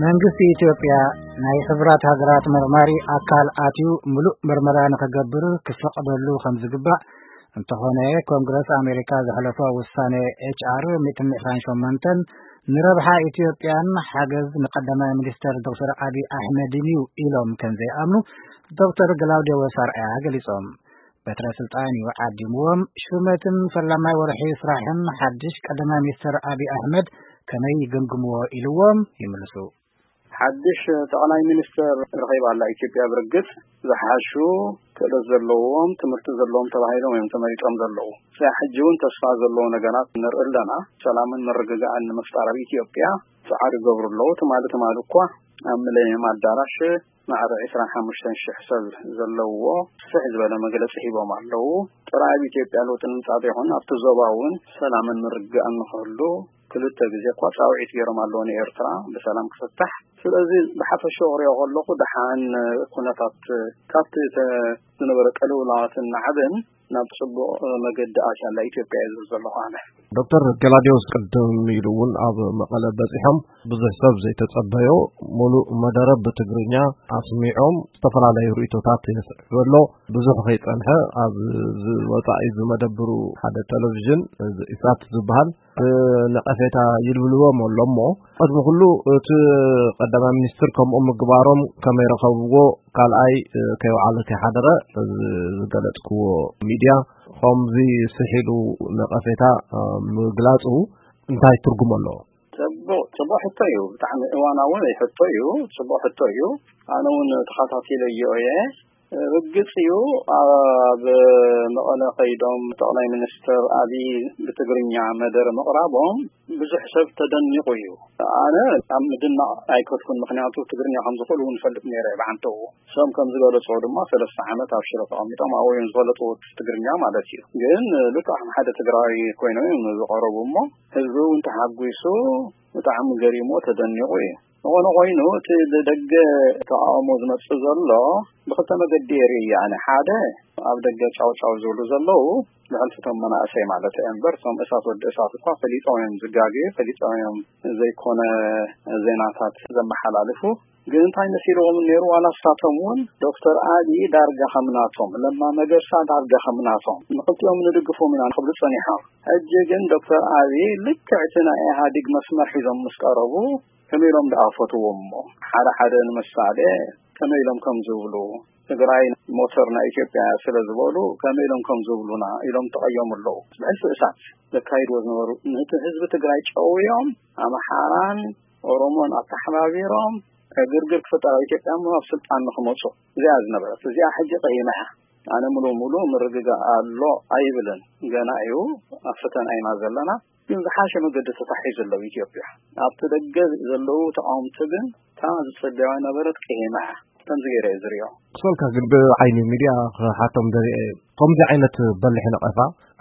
መንግስቲ ኢትዮጵያ ናይ ሕቡራት ሃገራት መርማሪ ኣካል ኣትዩ ምሉእ ምርመራ ንኽገብር ክፈቕደሉ ከም ዝግባእ፣ እንተኾነ ኮንግረስ ኣሜሪካ ዘሕለፎ ውሳነ ኤች ኣር ሚእትን ዕስራን ሸሞንተን ንረብሓ ኢትዮጵያን ሓገዝ ንቀዳማይ ሚኒስተር ዶክተር ኣቢይ ኣሕመድን እዩ ኢሎም ከም ዘይኣምኑ ዶክተር ግላውዲዮስ ኣርኣያ ገሊጾም። በትረ ስልጣን እዩ ዓዲምዎም። ሹመትን ፈላማይ ወርሒ ስራሕን ሓድሽ ቀዳማይ ሚኒስተር ኣቢይ ኣሕመድ ከመይ ይግምግምዎ ኢልዎም ይምልሱ። ሓድሽ ጠቕላይ ሚኒስተር ረኺባ ኣላ ኢትዮጵያ። ብርግጽ ዝሓሹ ክእለት ዘለዎም፣ ትምህርቲ ዘለዎም ተባሂሎም እዮም ተመሪጾም ዘለዉ። እዚኣ ሕጂ እውን ተስፋ ዘለዎ ነገራት ንርኢ ኣለና። ሰላምን ምርግጋእን ንምፍጣር ኣብ ኢትዮጵያ ጻዕሪ ይገብሩ ኣለዉ። ትማሊ ትማሊ እኳ ኣብ ሚሌኒየም ኣዳራሽ ማዕረ ዕስራን ሓሙሽተን ሽሕ ሰብ ዘለዎ ስፍሕ ዝበለ መግለጺ ሂቦም ኣለዉ። ጥራይ ኣብ ኢትዮጵያ ለውጢ ንምምጻእ ዘይኮነ ኣብቲ ዞባ እውን ሰላምን ምርግጋእን ንኽህሉ ክልተ ግዜ እኳ ጻውዒት ገይሮም ኣለዉ ንኤርትራ ብሰላም ክፍታሕ። ስለዚ ብሓፈሻኡ ክሪኦ ከለኹ ደሓን ኩነታት ካብቲ ተ-፣ ዝነበረ ቅልውላዋትን ናዕብን ናብ ጽቡቕ መገዲ ኣትያ ኣላ ኢትዮጵያ እየ ዝብል ዘለኹ ኣነ። ዶክተር ገላዲዮስ ቅድም ኢሉ እውን ኣብ መቐለ በጺሖም ብዙሕ ሰብ ዘይተጸበዮ ሙሉእ መደረ ብትግርኛ ኣስሚዖም ዝተፈላለዩ ርእይቶታት የስዕብ ኣሎ። ብዙሕ ከይጸንሐ ኣብ ዝወጻኢ ዝመደብሩ ሓደ ቴሌቪዥን እዚ ኢሳት ዝበሃል ነቐፌታ ይልብልዎም ኣሎ እሞ፣ ቅድሚ ኩሉ እቲ ቀዳማይ ሚኒስትር ከምኡ ምግባሮም ከመይ ረኸብዎ፣ ካልኣይ ከይወዓለ ከይሓደረ እዚ ዝገለጽክዎ ሚድያ ከምዚ ስሒሉ ነቐፌታ ምግላጹ እንታይ ትርጉም ኣለዎ? ጽቡቕ፣ ጽቡቕ ሕቶ እዩ። ብጣዕሚ እዋናዊ ሕቶ እዩ። ጽቡቕ ሕቶ እዩ። ኣነ እውን ተኸታቲለዮ እየ። ርግጽ እዩ፣ ኣብ መቐለ ከይዶም ጠቕላይ ሚኒስትር ኣብይ ብትግርኛ መደረ ምቕራቦም ብዙሕ ሰብ ተደኒቑ እዩ። ኣነ ኣብ ምድናቕ ኣይከድኩን፣ ምኽንያቱ ትግርኛ ከም ዝኽእሉ እውን እፈልጥ ነይረ እየ ብዓንተኡ። እሶም ከም ዝገለጽዎ ድማ ሰለስተ ዓመት ኣብ ሽረ ተቐሚጦም ኣብኡ እዮም ዝፈለጥዎ ትግርኛ ማለት እዩ። ግን ልክዕ ከም ሓደ ትግራዊ ኮይኖም እዮም ዝቐረቡ እሞ ህዝቢ እውን ተሓጒሱ ብጣዕሚ ገሪሞ ተደኒቑ እዩ። ዝኾነ ኮይኑ እቲ ብደገ ተቓውሞ ዝመጽእ ዘሎ ብኽልተ መገዲ እየ ርእዮ ኣነ። ሓደ ኣብ ደገ ጫው ጫው ዝብሉ ዘለዉ ብሕልፊ እቶም መናእሰይ ማለት እየ እምበር እቶም እሳት ወዲ እሳት እኳ ፈሊጦም እዮም ዝጋገዩ፣ ፈሊጦም እዮም ዘይኮነ ዜናታት ዘመሓላልፉ። ግን እንታይ መሲልዎም ነይሩ ዋላ እሳቶም እውን ዶክተር ኣብይ ዳርጋ ከም ናቶም፣ ለማ መገርሳ ዳርጋ ከም ናቶም ንኽልቲኦም ንድግፎም ኢና ክብሉ ጸኒሖም። ሕጂ ግን ዶክተር ኣብይ ልክዕ እቲ ናይ ኢህኣዴግ መስመር ሒዞም ምስ ቀረቡ ከመይ ኢሎም ደኣ ፈትዎም እሞ ሓደ ሓደ ንምሳሌ ከመይ ኢሎም ከም ዝብሉ ትግራይ ሞተር ናይ ኢትዮጵያ ስለ ዝበሉ ከመይ ኢሎም ከም ዝብሉና ኢሎም ተቐየሙ ኣለዉ። ብሕልፊ እሳት ዘካይድዎ ዝነበሩ ነቲ ህዝቢ ትግራይ ጨውዮም ኣምሓራን ኦሮሞን ኣተሓባቢሮም ዕግርግር ክፍጠር ኣብ ኢትዮጵያ እሞ ኣብ ስልጣን ንክመፁ እዚኣ ዝነበረት እዚኣ ሕጂ ቀይመያ። ኣነ ሙሉ ሙሉ ምርግጋእ ኣሎ ኣይብልን። ገና እዩ ኣብ ፈተና ኢና ዘለና። ግን ዝሓሸ መገዲ ተታሒዙ ኣለዉ ኢትዮጵያ። ኣብቲ ደገ ዘለዉ ተቃወምቲ ግን እታ ዝጸበያ ነበረት ቀይመያ። ከምዚ ገይረ እየ ዝሪኦ። ክሰልካ ግን ብዓይኒ ሚድያ ክሓቶም ደሪአ። ከምዚ ዓይነት በሊሕ ነቐፋ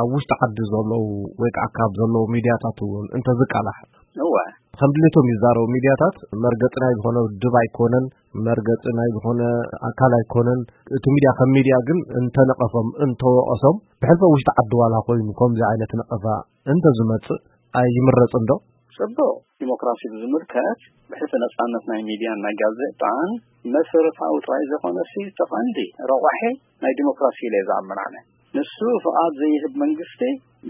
ኣብ ውሽጢ ዓዲ ዘለዉ ወይ ከዓ ካብ ዘለዉ ሚድያታት እውን እንተዝቃላሕ እወ። ከም ድሌቶም ይዛረቡ። ሚድያታት መርገፂ ናይ ዝኾነ ውድብ ኣይኮነን፣ መርገፂ ናይ ዝኾነ ኣካል ኣይኮነን። እቲ ሚድያ ከም ሚድያ ግን እንተነቐፎም እንተወቐሶም ብሕልፈ ውሽጢ ዓዲ ዋላ ኮይኑ ከምዚ ዓይነት ነቐፋ እንተዝመፅእ ኣይምረፅን ዶ? ጽቡቕ። ዲሞክራሲ ብዝምልከት ብሕቲ ነጻነት ናይ ሚድያን ናይ ጋዜጣን መሰረታዊ ጥራይ ዘይኮነሲ እቲ ቀንዲ ረቋሒ ናይ ዲሞክራሲ ኢለ እየ ዝኣምን ኣነ። ንሱ ፍቓድ ዘይህብ መንግስቲ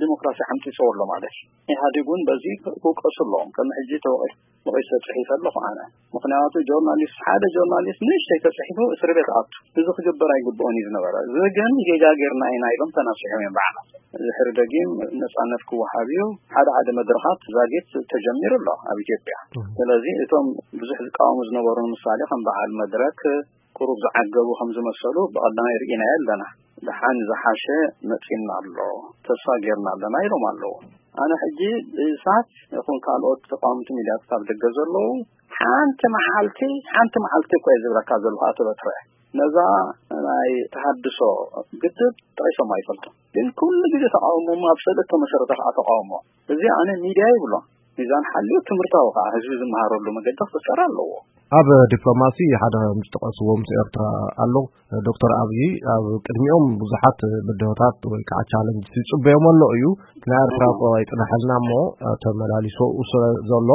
ዲሞክራሲ ሓምጢጽዎ ኣሎ ማለት እዩ። ኢህኣዴግ እውን በዚ ክውቀሱ ኣለዎም። ቅድሚ ሕጂ ተወቒሱ ተጽሒፈ ኣለኹ ኣነ። ምኽንያቱ ጆርናሊስት፣ ሓደ ጆርናሊስት ንእሽተይ ተጽሒፉ እስሪ ቤት ኣቱ። እዚ ክግበር ኣይግብኦን እዩ ዝነበረ። እዚ ግን ጌጋ ጌርና ኢና ኢሎም ተናሲሖም እዮም ባዕሎም። ድሕሪ ደጊም ነጻነት ክወሃብ እዩ። ሓደ ሓደ መድረኻት ዛጊት ተጀሚሩ ኣሎ ኣብ ኢትዮጵያ። እህ። ስለዚ እቶም ብዙሕ ዝቃወሙ ዝነበሩ ንምሳሌ ከም በዓል መድረክ ቁሩብ ዝዓገቡ ከም ዝመሰሉ ብቐዳማይ ርኢናዮ ኣለና። ደሓን ዝሓሸ መጺና ኣሎ፣ ተስፋ ጌርና ኣለና ኢሎም ኣለዉ። ኣነ ሕጂ ብኢሳት ይኹን ካልኦት ተቃወምቲ ሚድያታት ኣብ ደገ ዘለዉ ሓንቲ መዓልቲ፣ ሓንቲ መዓልቲ እኮ እየ ዝብለካ ዘለኹ ኣቶ በትረ። ነዛ ናይ ተሃድሶ ግድብ ጠቒሶም ኣይፈልጡን። ግን ኩሉ ግዜ ተቃውሞ ኣብ ስእሊ እተመሰረተ ከዓ ተቃውሞ። እዚ ኣነ ሚድያ ይብሎ። ሚዛን ሓልዩ ትምህርታዊ ከዓ ህዝቢ ዝመሃረሉ መገዲ ክፍጠር ኣለዎ። ኣብ ዲፕሎማሲ ሓደ ከም ዝጠቐስዎ ምስ ኤርትራ ኣሎ። ዶክተር ኣብይ ኣብ ቅድሚኦም ብዙሓት ብድሆታት ወይ ከዓ ቻለንጅ ይፅበዮም ኣሎ እዩ። ናይ ኤርትራ እኮ ኣይፅናሐልና እሞ ተመላሊሱ ስለ ዘሎ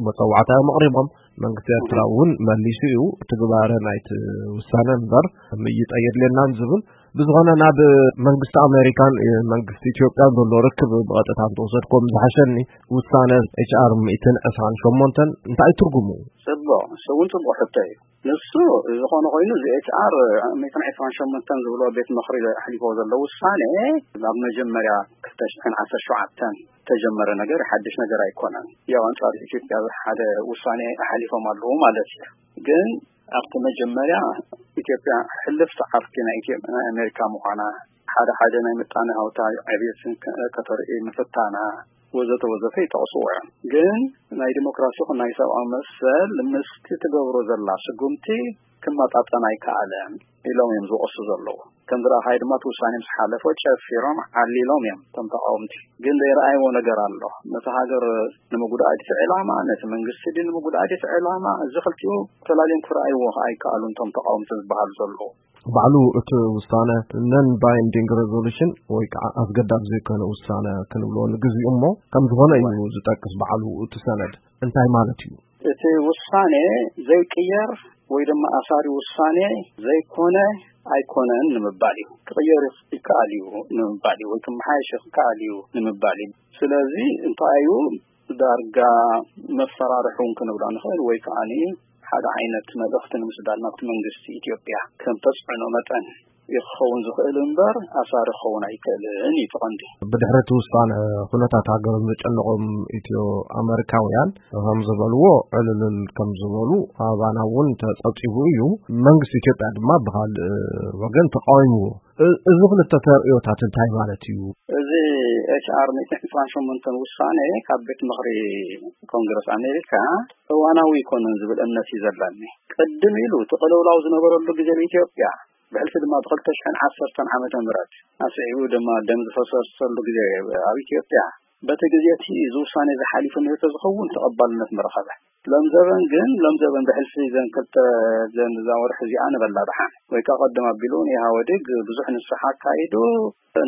መፀዋዕታ እዮም ኣቕሪቦም። መንግስቲ ኤርትራ እውን መሊሱ እዩ። ትግባረ ናይቲ ውሳነ እምበር ምይይጥ ኣየድልየናን ዝብል። ብዝኾነ ናብ መንግስቲ ኣሜሪካን መንግስቲ ኢትዮጵያን ዘሎ ርክብ ብቐጥታ እንተወሰድኩም ዝሓሸኒ። ውሳነ ኤች ኣር ሚእትን ዕስራን ሸሞንተን እንታይ ትርጉሙ? ጽቡቕ፣ እሱ እውን ጽቡቕ ሕቶ እዩ። ንሱ ዝኾነ ኮይኑ እዚ ኤች ኣር ሚእትን ዕስራን ሸሞንተን ዝብሎ ቤት ምኽሪ ኣሕሊፎ ዘሎ ውሳኔ ኣብ መጀመርያ ክልተ ሽሕን ዓሰርተ ሸውዓተን ተጀመረ ነገር ሓድሽ ነገር ኣይኮነን። ያው ኣንጻር ኢትዮጵያ ሓደ ውሳኔ ኣሕሊፎም ኣለዉ ማለት እዩ። ግን ኣብቲ መጀመርያ ኢትዮጵያ ሕልፍቲ ዓርኪ ናይ ኢትዮ-፣ ናይ ኣሜሪካ ምዃና፣ ሓደ ሓደ ናይ ምጣነ ሃብታዊ ዕብየትን ከ-፣ ከተርኢ ምፍታና፣ ወዘተ ወዘተ ይጠቕስዎ እዮም። ግን ናይ ዲሞክራሲ ይኹን ናይ ሰብኣዊ መሰል ምስቲ ትገብሮ ዘላ ስጉምቲ ክመጣጠን ኣይከኣለን ኢሎም እዮም ዝወቕሱ ዘለዉ። ከም ዝረኣኻዮ ድማ እቲ ውሳኔ ምስ ሓለፎ ጨፊሮም ዓሊሎም እዮም እቶም ተቃወምቲ። ግን ዘይረኣይዎ ነገር ኣሎ። ነቲ ሃገር ንምጉዳእ ድቲ ዕላማ፣ ነቲ መንግስቲ ድ ንምጉዳእ ድቲ ዕላማ፣ እዚ ክልቲኡ ተላልዮም ክረኣይዎ ከኣ ኣይከኣሉን እቶም ተቃወምቲ ዝበሃሉ ዘለዉ። ባዕሉ እቲ ውሳነ ነን ባይንዲንግ ሬዞሉሽን ወይ ከዓ ኣስገዳድ ዘይኮነ ውሳነ ክንብሎ ንግዚኡ እሞ ከም ዝኾነ እዩ ዝጠቅስ ባዕሉ እቲ ሰነድ። እንታይ ማለት እዩ? እቲ ውሳኔ ዘይቅየር ወይ ድማ ኣሳሪ ውሳኔ ዘይኮነ ኣይኮነን ንምባል እዩ። ክቕየር ይከኣል እዩ ንምባል እዩ፣ ወይ ክመሓየሽ ይከኣል እዩ ንምባል እዩ። ስለዚ እንታይ እዩ፣ ዳርጋ መፈራርሒ እውን ክንብሎ ንኽእል፣ ወይ ከዓኒ ሓደ ዓይነት መልእኽቲ ንምስዳድ ናብቲ መንግስቲ ኢትዮጵያ ከም ተጽዕኖ መጠን እዩ ክኸውን ዝኽእል እምበር ኣሳሪ ክኸውን ኣይክእልን እዩ እቲ ቀንዲ። ብድሕሪ እቲ ውሳነ ኩነታት ሃገሮም ዘጨነቖም ኢትዮ ኣመሪካውያን ከም ዝበልዎ ዕልልል ከም ዝበሉ ኣባና እውን ተጸብጺቡ እዩ። መንግስቲ ኢትዮጵያ ድማ ብኻልእ ወገን ተቃዊምዎ። እ-፣ እዚ ክልተ ተርእዮታት እንታይ ማለት እዩ? እዚ ኤች ኣር ሚእትን ዕስራን ሸሞንተን ውሳኔ ካብ ቤት ምኽሪ ኮንግረስ ኣሜሪካ እዋናዊ ኣይኮነን ዝብል እምነት እዩ ዘለኒ። ቅድም ኢሉ እቲ ቅልውላው ዝነበረሉ ግዜ ኣብ ኢትዮጵያ፣ ብሕልፊ ድማ ብክልተ ሽሕን ዓሰርተን ዓመተ ምህረት ኣስዒቡ ድማ ደም ዝፈሰሰሉ ግዜ ኣብ ኢትዮጵያ፣ በቲ ግዜ እቲ እዚ ውሳኔ እዚ ሓሊፉ ነይሩ ተዝኸውን ተቐባልነት ምረኸበ። ሎም ዘበን ግን፣ ሎም ዘበን ብሕልፊ ዘን ክልተ ዘን እዛ ወርሒ እዚኣ ንበላ ደሓን። ወይ ከኣ ቀደም ኣቢሉ ንኢህወዴግ ብዙሕ ንስሓ ኣካይዱ፣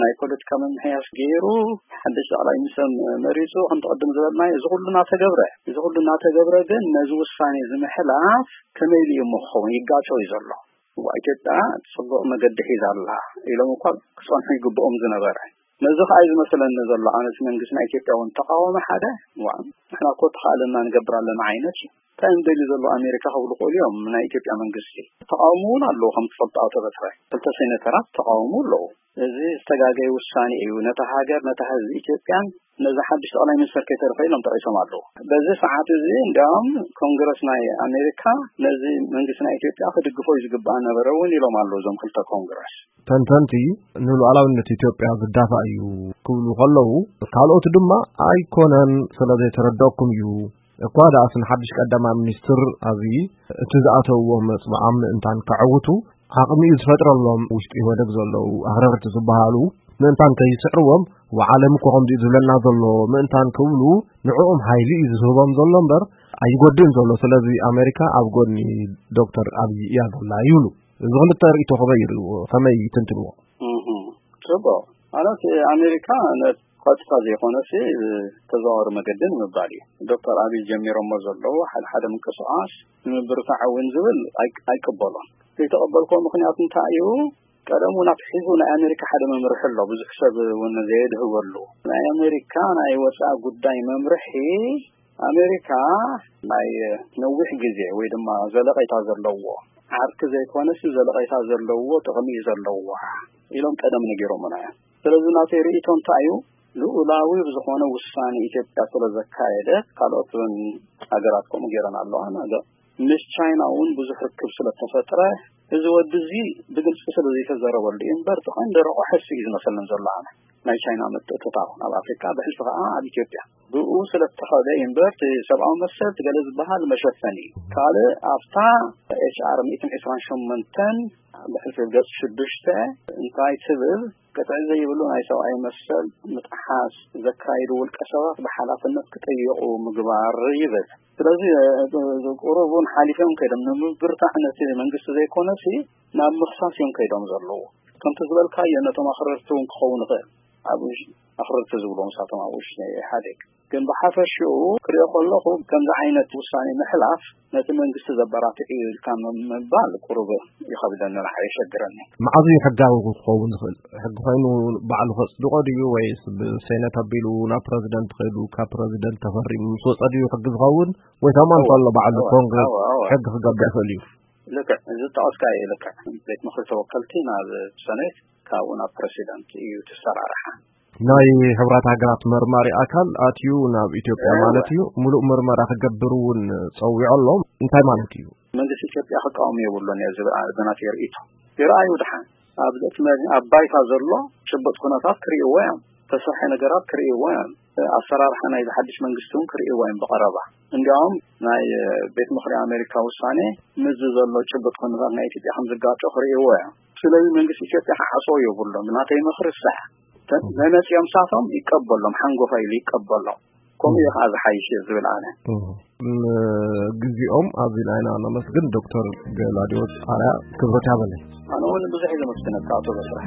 ናይ ፖለቲካ ምምሕያሽ ገይሩ፣ ሓድሽ ጠቕላይ ሚኒስተር መሪጹ፣ ከምቲ ቅድም ዝበልናዮ፣ እዚ ኩሉ እናተገብረ፣ እዚ ኩሉ እናተገብረ ግን ነዚ ውሳኔ እዚ ምሕላፍ ከመይ ኢሉ እዩ እሞ ክኸውን? ይጋጮ እዩ ዘሎ። እዋ፣ ኢትዮጵያ ጽቡቕ መገዲ ሒዛ ኣላ ኢሎም እኳ ክጸንሑ ይግብኦም ዝነበረ። ነዚ ኸኣ እዩ ዝመስለኒ ዘሎ። ኣነስ መንግስቲ ናይ ኢትዮጵያ እውን ተቃወመ ሓደ፣ እዋ፣ ንሕና እኮ ተኻእለና ንገብር ኣለና ዓይነት እዩ። እንታይ እዮም ደልዩ ዘለዉ ኣሜሪካ ክብሉ ክእሉ እዮም። ናይ ኢትዮጵያ መንግስቲ ተቃውሞ እውን ኣለዉ። ከም ትፈልጦ ኣቶ በትረ፣ ክልተ ሴኔተራት ተቃውሞ ኣለዉ። እዚ ዝተጋገየ ውሳኔ እዩ። ነታ ሃገር፣ ነታ ህዝቢ ኢትዮጵያን ነዚ ሓድሽ ጠቕላይ ሚኒስተር ከይተርፈ ኢሎም ጠቒሶም ኣለዉ። በዚ ሰዓት እዚ እንዲያውም ኮንግረስ ናይ ኣሜሪካ ነዚ መንግስቲ ናይ ኢትዮጵያ ክድግፎ እዩ ዝግባእ ነበረ እውን ኢሎም ኣለዉ እዞም ክልተ ኮንግረስ። ተንተንቲ ንሉዓላዊነት ኢትዮጵያ ዝዳፋእ እዩ ክብሉ ከለዉ፣ ካልኦት ድማ ኣይኮነን ስለ ዘይተረደእኩም እዩ። እኳ ደኣስ ንሓድሽ ቀዳማይ ሚኒስትር ኣብዪ እቲ ዝኣተውዎ መጽብዓም ምእንታን ከዕውቱ ዓቕሚ እዩ ዝፈጥረሎም። ውሽጢ ኢህወደግ ዘለዉ ኣኽረርቲ ዝበሃሉ ምእንታን ከይስዕርዎም፣ ወዓለም እኮ ከምዚ እዩ ዝብለና ዘሎ ምእንታን ክብሉ ንዕኦም ሓይሊ እዩ ዝህቦም ዘሎ እምበር ኣይጎድእን ዘሎ። ስለዚ ኣሜሪካ ኣብ ጎኒ ዶክተር ኣብዪ እያ ዘላ ይብሉ። እዚ ክልተ ርእይቶ ከመይ ይርእዎ? ከመይ ይትንትንዎ? እህ፣ ጽቡቕ። ማለት ኣሜሪካ ነ-፣ ቀጥታ ዘይኮነሲ ብተዘዋዋሪ መገዲ ንምባል እዩ። ዶክተር ኣብይ ጀሚሮሞ ዘለዉ ሓደ ሓደ ምንቅስቓስ ንምብርታዕ እውን ዝብል ኣይ-፣ ኣይቅበሎን። ዘይተቐበልክዎ ምኽንያት እንታይ እዩ? ቀደም እውን ኣትሒዙ ናይ ኣሜሪካ ሓደ መምርሒ ኣሎ፣ ብዙሕ ሰብ እውን ዘየድህበሉ። ናይ ኣሜሪካ ናይ ወጻኢ ጉዳይ መምርሒ፣ ኣሜሪካ ናይ ነዊሕ ግዜ ወይ ድማ ዘለቐይታ ዘለዎ ዓርኪ ዘይኮነስ ዘለቐይታ ዘለዎ ጥቕሚ እዩ ዘለዋ ኢሎም ቀደም ነጊሮምና እዮም። ስለዚ ናተይ ርእይቶ እንታይ እዩ? ልኡላዊ ዝኾነ ውሳኔ ኢትዮጵያ ስለ ዘካየደ፣ ካልኦት እውን ሃገራት ከምኡ ገይረን ኣለዋ። ናገ-፣ ምስ ቻይና እውን ብዙሕ ርክብ ስለ ተፈጥረ፣ እዚ ወዲ እዚ ብግልጺ ስለ ዘይተዘረበሉ እዩ እምበር፣ እቲ ቀንዲ ረቑ ሕሲ እዩ ዝመስለኒ ዘሎ ኣነ። ናይ ቻይና ምትእትታው ናብ ኣፍሪካ፣ ብሕልፊ ከዓ ኣብ ኢትዮጵያ። ብኡ ስለ እተኸደ እዩ እምበር፣ እቲ ሰብኣዊ መሰል እቲ ገለ ዝበሃል መሸፈኒ እዩ። ካልእ ኣብታ ኤች ኣር ሚእትን ዕስራን ሸሞንተን ብሕልፊ ገጽ ሽዱሽተ እንታይ ትብል? ቅጥዒ ዘይብሉ ናይ ሰብኣዊ መሰል ምጥሓስ ዘካይዱ ውልቀ ሰባት ብሓላፍነት ክጥየቑ ምግባር ይብል። ስለዚ፣ እ፣ ቁሩብ እውን ሓሊፎም ከይዶም ንምብርታዕ ነቲ መንግስቲ ዘይኮነሲ ናብ ምኽሳስ እዮም ከይዶም ዘለዉ። ከምቲ ዝበልካዮ ነቶም ኣኽረርቲ እውን ክኸውን ይኽእል። ኣብ ውሽ-፣ ኣኽረርቲ ዝብሎም ንሳቶም ኣብ ውሽጢ ናይ ኢህኣዴግ። ግን ብሓፈሽኡ ክሪኦ ከለኹ ከምዚ ዓይነት ውሳኔ ምሕላፍ ነቲ መንግስቲ ዘበራትዕ እዩ ኢልካ ም-፣ ምባል ቁሩብ ይኸብደኒ፣ ንዓይ የሸግረኒ። መዓዝ እዩ ሕጋዊ ክኸውን ዝኽእል? ሕጊ ኮይኑ ባዕሉ ከጽድቆ ድዩ ወይስ ብሴኔት ኣቢሉ ናብ ፕረዚደንት ከይዱ ካብ ፕረዚደንት ተፈሪሙ ምስ ወጸ ድዩ ሕጊ ዝኸውን? ወይ ከማን እወ፣ ከሎ ባዕሉ እወ፣ ኮንግረስ እወ፣ እወ። ሕጊ ክገብር ይኽእል እዩ? ልክዕ፣ እዚ ዝጠቐስካዮ እዩ ልክዕ። ቤት ምኽሪ ተወከልቲ ናብ ሰኔት፣ ካብኡ ናብ ፕረሲደንት እዩ ትሰራርሓ። ናይ ሕብራት ሃገራት መርማሪ ኣካል ኣትዩ ናብ ኢትዮጵያ እወ። ማለት እዩ፣ ሙሉእ ምርመራ ክገብር እውን ጸዊዑ ኣሎ። እንታይ ማለት እዩ? መንግስቲ ኢትዮጵያ ክቃወም የብሉን እየ ዝብል ኣነ ብናተይ ርእይቶ። ይረኣዩ ድሓን። ኣብዚ እቲ መ-፣ ኣብ ባይታ ዘሎ ጭቡጥ ኩነታት ክርእይዎ እዮም። ተሰርሐ ነገራት ክርእይዎ እዮም። ኣሰራርሓ ናይ ሓድሽ መንግስቲ እውን ክርእይዎ እዮም ብቐረባ። እንዲያውም ናይ፣ እ፣ ቤት ምኽሪ ኣሜሪካ ውሳኔ ምስዚ ዘሎ ጭቡጥ ኩነታት ናይ ኢትዮጵያ ከም ዝጋጮ ክርእይዎ እዮም። ስለዚ መንግስቲ ኢትዮጵያ ክሓስቦ የብሉን። ብናተይ ምኽሪ ሳዕ ተ-፣ መመፅኦም ሳቶም ይቀበሎም፣ ሓንጎፋ ኢሉ ይቀበሎም። ከምኡ እዩ ከዓ ዝሓይሽ እየ ዝብል ኣነ። እም፣ ግዜኦም ኣዚና ኢና ነመስግን ዶክተር ገላዲዎስ ኣርያ፣ ክብረት ያበለይ። ኣነ እውን ብዙሕ እየ ዘመስግነካ ኣቶ በስራሕ።